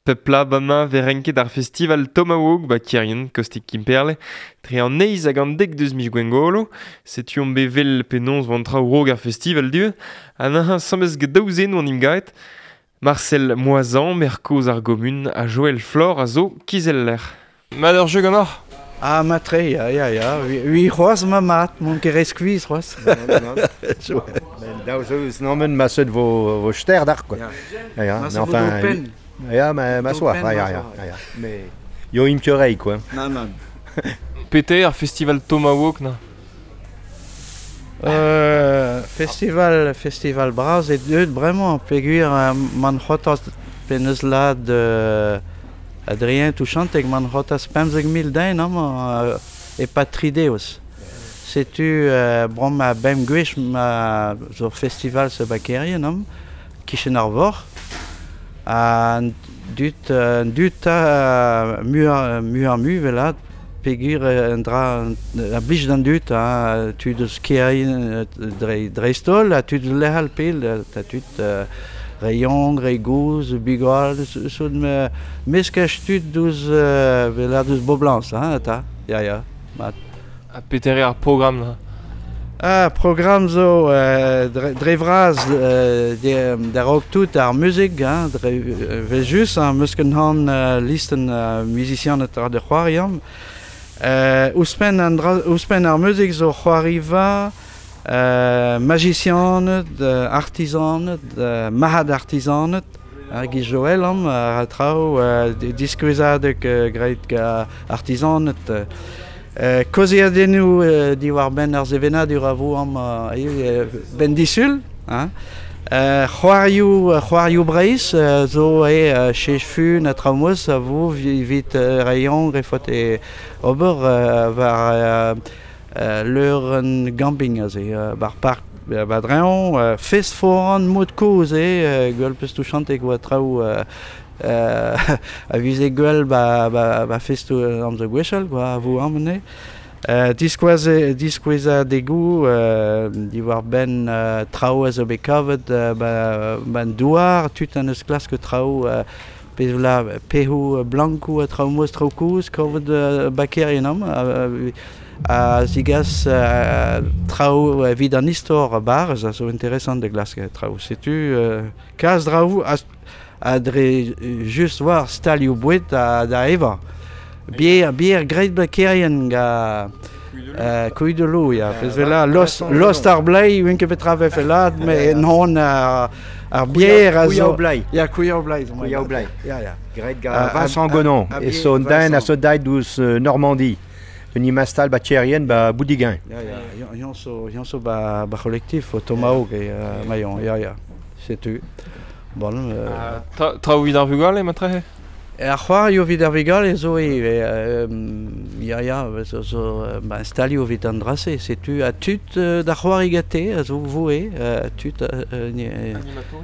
Pep la bamañ vez renket ar festival Tomahawk ba Kerien, kostik Kemperle, tre an eizh hag an dek deus miz Gwengolo. Setu omp bet vel penaos vo an traoù raok ar festival du, ha neuze asambles get daou zen oan imgaet. Marcel Moisan, maer kozh ar gomun, ha Joël Flor a zo kizeller. Mat ur jeu ganeoc'h? Ah, matre, ya, ya, ya. Ui c'hoazh ma mat, mont ket re skuizh c'hoazh. Daou zo eus nammen ma seut vo, vo ster d'ar, quoi. Ja, Ja, Ma mais se vo enfin, d'ho penn. Ja, ma, ma D'ho soir, penn, ja, ma ja, ja, soir. ja. Mais yo im kerei, quoi. Nan, nan. Peter, ar festival Tomahawk, na? Festival, festival bras e deuet bremañ, peogwir man c'hotas penaos lad Adrien Touchanteg man c'hotas 15 000 den amañ e pa tri deus. Setu bremañ a bemp gwech ma zo festival se bakerien amañ, kichen ar vor. Ha an dud, an dud ta muioc'h muioc'h mui velat peogwir un dra a blij d'an dud, ha tud eus Kerien dre, dreist-holl, ha tud lec'hal pell, ta tud re yaouank, re gozh, bugale, so meskaj tud deus velat deus boblañs, hein, ta, ya, ya, mat. Ha peter eo ar programm, na? Ah, programm zo dre, dre vras da raok tout ar muzik, hein, dre vel just, hein, meus ket han listenn musicianed ar de c'hoariam. Ouzhpenn an dra, ouzhpenn ar muzik zo c'hoariva, magicianed, artisaned, marc'had artisaned, hag i Joël am, a traoù, diskouezadeg graet ga artisaned. Kaozeadennoù diwar-benn ar sevenadur a vo am ben disul, hein. C'hoarioù, c'hoarioù Breizh zo e chech fun ha traoù a vo evit reiñ refot e ober war leur un camping aze, bar park ba dreñv, fest foran mod kozh eo, gwell peus touchanteg oa traoù a vize gwell ba, ba, ba festoù amzer gwechall, quoi, a vo am diskoueze, diskouezadegoù diwar-benn traoù a zo bet kavet ba, ban douar, tud an eus klask traoù pezh la pehoù blankoù ha traoù moz traoù kozh kavet bakerien am a zigas traoù evit an istor barz a zo interesant da glask traoù. Setu kalz draoù a, a dre just war stalioù boued da, da evañ. Bier, bier graet bakerien ga Kuidelou, ya. Pezh vela lost, lost ar blei, ouen ket petra vefe lad, me non ar, ar bier a zo... Blei. Ya, kouiaou blei. Kouiaou blei. Ya, ya. Graet ga Ah, Vincent ah, Gonon, ah, e son den a Vincent. so dait deus Normandie. De mastal ba Tcherien ba Boudigain. Ya, ya, yon so, yon so ba, ba collectif o Tomahawk e Mayon, ya, ya. Setu. Bon, Traoù evit ar vugale, matrehe? Ar c'hoarioù evit ar vugale zo ivez, ya, ya, zo, zo ba, stalioù evit an dra-se, setu ha tud da c'hoari gante a zo voe, tud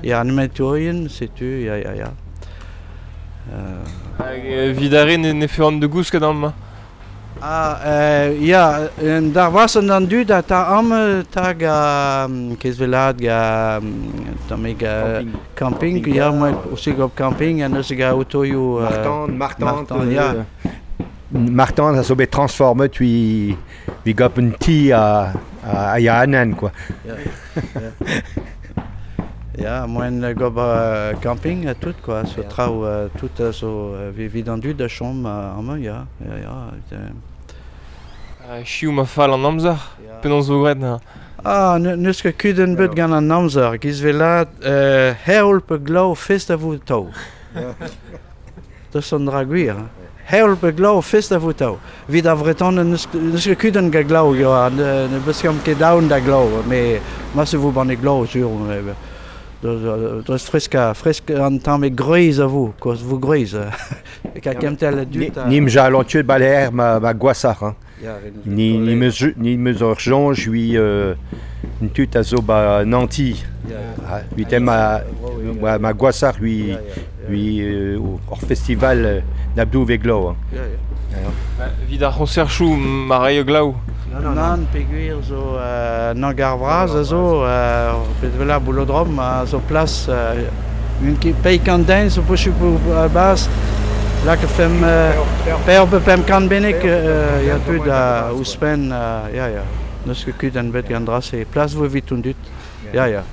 ya, animatourien, setu, ya, ya, ya. Hag evit ar re ne, ne feuran de gousket amañ. Ah, ya, un dar vasen an dud a ta am tag a kezvelad ga tammig camping, Camping. ya, moi aussi gop camping, ha neuze ga autoioù Martin, Martin, Martin, ya. Martin a zo bet transformet ui vi gop un ti a, a, a ya anan, quoi. Ya, moen gob camping ha tout, quoi, so traoù tout a zo evit an dud a chom amañ, ya, ya, ya. Chiv ma fall an amzer, Ya. penaos zo graet, na? Ah, n'eus ket kudenn bet gant an amzer, giz velat heol pe glav fest a vo tav. Deus an dra gwir. hein. Heol pe glav fest a vo tav. Evit ar Vretoned n'eus n'eus ket kudenn gant glav, ya, ne, ne beus ket daon da glav, me ma se vo ban e glav sur, me, deus fresk fresk an tamm e gwrez a vo, koz vo gwrez. Ka kemtel a Ni, dud a... ni m'ja alon tuet baler ma, ma gwasar, hein. Ya, re neus Ni, ni meus, ni meus ur jonj ui un tut a zo ba Nanti. Ya, Ah, ui tem ma, ma, ma gwasar ui, ui ur festival n'abdou ve glav. Hein. Ya, ya. Evit ar c'honserchoù ma raio glav. Nan, peogwir zo nan gar vras a zo, bet vela boulodrom a zo plas Un ket pei kant den zo posupl a-bas, lak fem per pe pem kant bennek ya tud a ouzhpenn ya ya. N'eus ket kudenn bet gant dra-se. Plas vo evit an dud. Ya ya.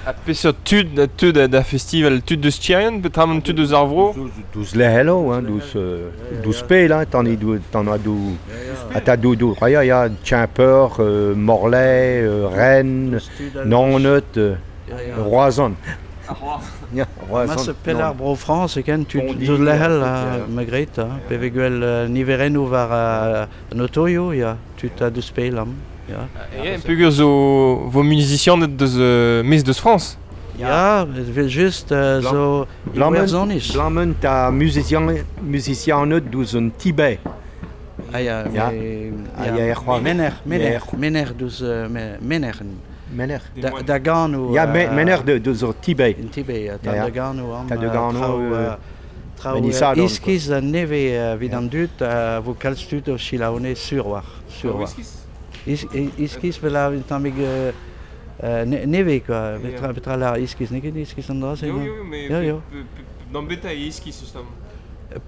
Ha peseurt tud a teu da festival? Tud deus Tierien, peotramant tud deus ar vro? Douz lec'helo, hein, douz, douz pel, hein, tan tan a dou, ha ta dou, dou, ya, ya, Tchimper, Morlaix, Rennes, Naoned, Roazhon. Ya, Roazhon. Ma pel ar bro Frañs e ken tud deus lec'hel, ma gret, pe vez gwell niverennoù war an otoioù, ya, tud a deus pel am. Ya. E peogwir zo vo muzisianed deus maez deus Frañs. Ya, evel just zo Iwerzhoniz. Blamment a muzisianed deus an Tibet. Ah ya, ya. Ya, Mener, mener, mener deus mener. Mener. Da gano. Ya, mener deus ar Tibet. In Tibet, ya, da gano am. Da gano. Traoù iskis a nevez evit an dud a vo kalz tud o selaou sur war. Sur war. Iskis vel un tammig nevez quoi. Petra la iskis, n'eo ket iskis an dra-se? Jo, jo, mais d'an beta e iskis justement.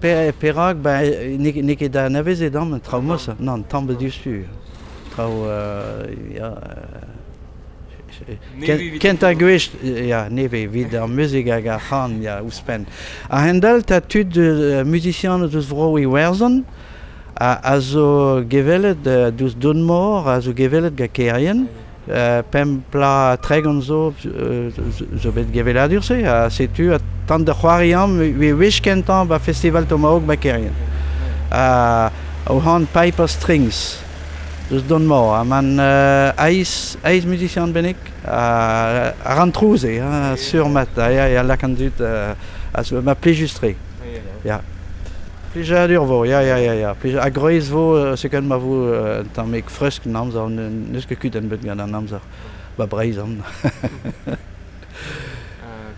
Perak, ben n'eo ket anavezet amañ traoù mosa. Nann, tamm bet diouzhtu. Traoù ya... Kentañ gwech, ya, nevez, evit ar muzik hag ar c'han, ya, ouzhpenn. A-hend-all, ta tud muzisianed eus vro Iwerzhon a zo gevellet deus Donmor, a zo gevellet gant Kerien. Pemp pla 30 zo zo bet gevelladur-se, ha setu tant da c'hoari amañ wech kentañ ba festival Tomahawk ba Kerien. O c'han Piper Strings deus Donmor, ha man eizh muzisian bennak a ran trouz eo, hein, sur mat, ya, ya, lak an dud ma plijus-tre. Ya. Plijadur vo, ya, ya, ya, ya. Ha gwrez vo, sekan ma vo un tammig fresk an amzer, n'eus ket kudenn bet gant an amzer. Ba Breizh an.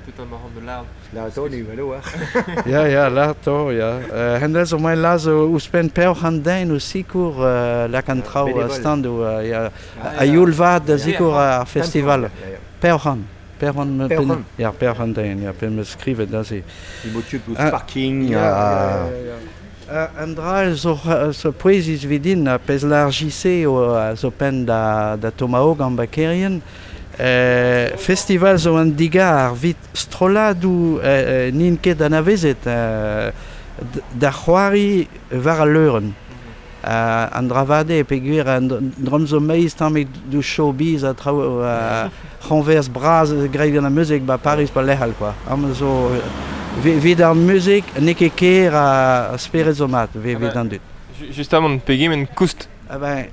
Petra ma ran de lard. Lard ni velo, hein. Ya, ya, lard to, ya. Hennezh zo mai laz ouzhpenn peoc'h an den o sikour lak an traoù standoù, ya. A youl vat da sikour ar festival. Peoc'h an. Peoc'h ya, peoc'h an den, ya, pe 'm eus skrivet aze. Imo tud ouzh parking. An dra zo zo pouezus evit din, pezh lar JC zo penn da Tomahawk an Bakerien. Festival zo an digar evit strolladoù n'int ket anavezet da c'hoari war al leurenn. An dra vat eo peogwir an drum zo meiz tammig deus showbiz ha traoù c'hoñvers bras graet gant ar muzik ba Paris ba lec'h all quoi. Amañ zo evit ar muzik n'eo ket ker a spered zo mat evit an dud. Justement, pegement koust? Ah ben,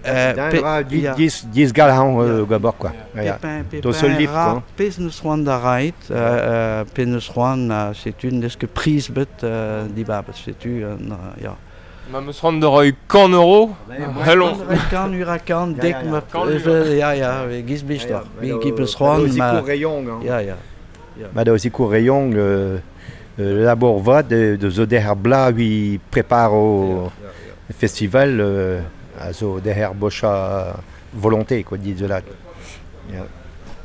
diz galhañ gabor quoi. Pepin ra pezh neus c'hoant da raet, pezh neus c'hoant, setu n'eus ket priz bet dibabet, setu ya. Ma meus c'hoant da roiñ 100 euro, hello. Kant ura kant, dek ma... Ya, ya, giz blij deoc'h. Gi peus c'hoant ma... Ya, ya. Ma da sikour Reyong, labour vat de zo derc'h ar bla ui preparo festival a zo derc'h bocha volonté quoi, dit de la.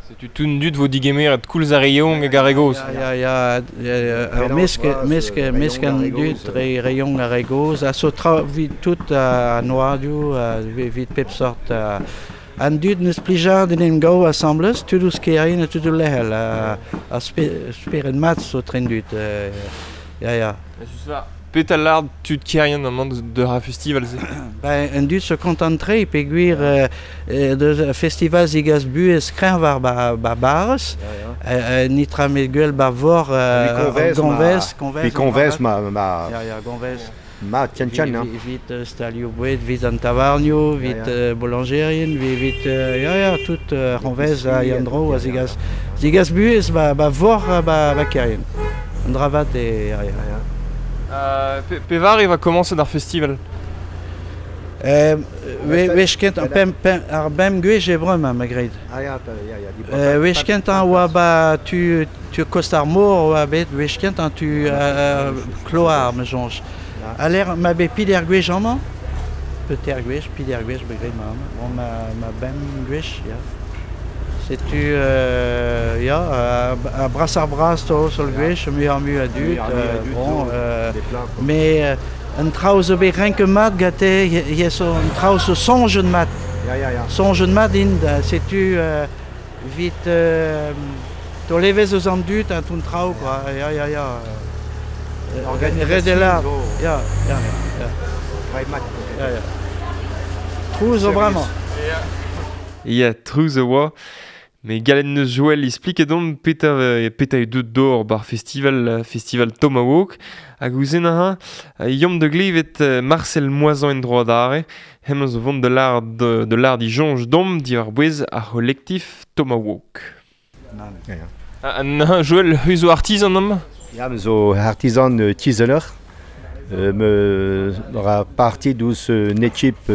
Setu tout dud vo digemeret koulz ar Reyong hag ar re gozh. Ya, ya, ya, ar mesk an dud re Reyong ar re gozh, a zo tra evit tout an oadioù, evit pep sort. An dud neus plijadur en em gav asambles, tud ouzh Kerien ha tud ouzh lec'hel, a spered mat zo tren dud. Ya, ya. Petra lard tud Kerien amañ de ar festival-se? Ben, an dud zo kontant-tre peogwir deus festival zigas buhez kreñv war ba barrez, nitra met gwell ba vor gonvez, gonvez, gonvez ma ya, ya, gonvez. Ma tien tien, hein. Evit stalioù boued, evit an tavarnioù, evit boulangerien, evit ya, ya, tout gonvez a Yandro a zigas zigas buhez ba vor ba Kerien. An dra vat e ya, ya. Pevar e va komañset ar festival? Wech kentañ ar bemp gwech e bremañ, ma graet. Ah ya, ya, ya. Wech kentañ oa ba tu kost ar mor oa bet, wech kentañ tu kloar, ma soñj. A l'air ma bet pider gwech amañ, peter gwech, pider gwech, bet graet ma amañ. Bon, ma bemp gwech, ya. Setu, ya, a bras ar bras to sol gwech, mu ar mu a dud, bon, mais un traoù zo bet renke mat gate, so un traoù zo soñjet mat. Ya. Soñjet mat int, setu vit to levez eus an dud un ton traoù, quoi. Ya. Organisation zo. Ya. Mat. Ya. Trouz zo bremañ. Ya, trouz a oa. Mais galen neus Joël explique domp peta e deut d'or bar festival Tomahawk hag ouzen aha yom de glevet Marcel Moisan en droit d'arrêt hem zo vont de l'art de l'art di jonge dom di ar bouez ar collectif Tomahawk. Ya. Joël, hu zo artisan am? Ya, me zo artisan tizeler. Me ra parti dous une équipe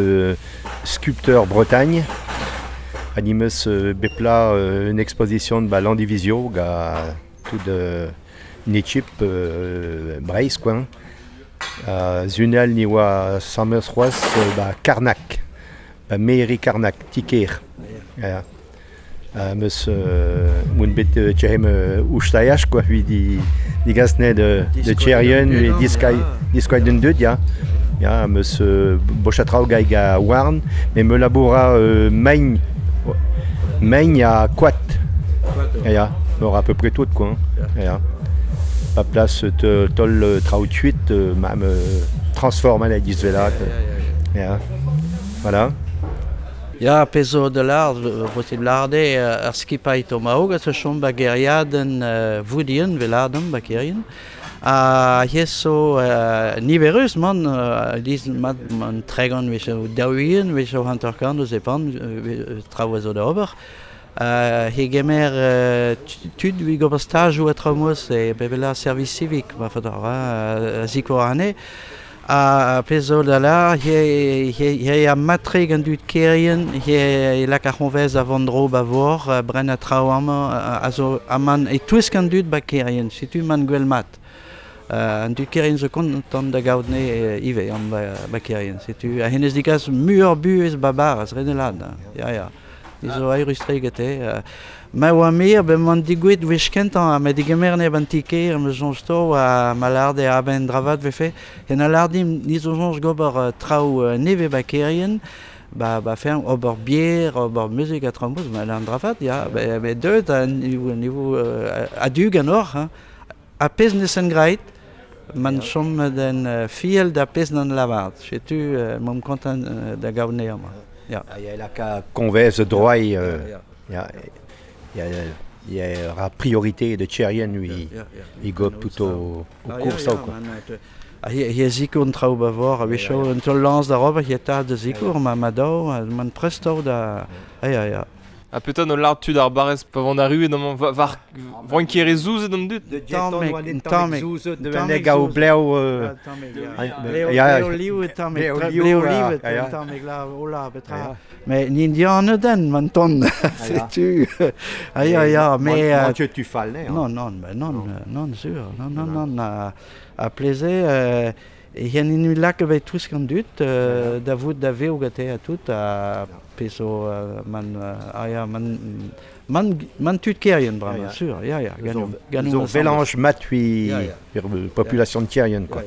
sculpteur Bretagne. Animeus bepla une exposition ba Landivisio ga tout une équipe Breizh quoi. Zunal ni oa sameus c'hoazh ba Karnak, ba mairie Karnak, Tiker. Ya. Meus moun bet tchehem oustaiach quoi hui di gasne de tcherien hui diskoy den deut ya. Ya meus bochatrao gai ga warn mais me laboura main Main à Quat. Ya, à peu près tout quoi. Ya. Pa place tol traout ma me transforme à la disvela. Ya. Voilà. Ya, pezo de l'art, possible l'arde ar skipai Tomahawk a chom ba geriaden voudien veladem ba kerien. A heso niverus man diz mat man tregon wech o daouien wech o hanterkant eus epan traoù zo da ober. He gemer tud vi gober stajoù a traoù e bebela service civique ma fador a zikour ane. A pezo da la he a matre gant dud kerien he lak ar c'honvez a vandro ba vor bren a traoù amañ a zo aman e touesk an dud ba kerien setu man gwell mat. An dud kerien zo kontant da gaout ne ive an ba kerien. Setu a henez digas muur buez babar az renelad. Ya. Izo aerustre gete. Ma oa mir ben man digouet wech kentañ ha ma digemer ne ban tiker me soñj to a malarde a ben dravat vefe. En alardim ni zo soñj gober traoù neve ba kerien ba fer ober bier, ober muzik a traoù ma an dravat ya be deut a niveau a du ganor hein. A pez nesen greit man chom den fiel da pez nan lavart. Setu mom kontant da gaout ne amañ. Ya. Ya la convez droit ya ya la priorité de tcherien lui il go plutôt au cours ça quoi. He zikour an traoù ba vor, a wecho un tol lans da rober, he ta de zikour ma mado, man presto da ya. A petan o lard tud ar barrez pa vant arru d'am var vankier zouzet an dud. Tamek tamek gaou blev ya liv tamek bleo liv tamek la ola petra. Mais n'indian den man ton setu. Ah ya ya mais tu fall ne. Non non non non sûr. Non non non a plaiser Hen in lak bet tous gant dud da vout da veo gate a tout a peso man ah ya man man tud kerien bremañ sûr ya ya ganou mélange matui population de kerien quoi.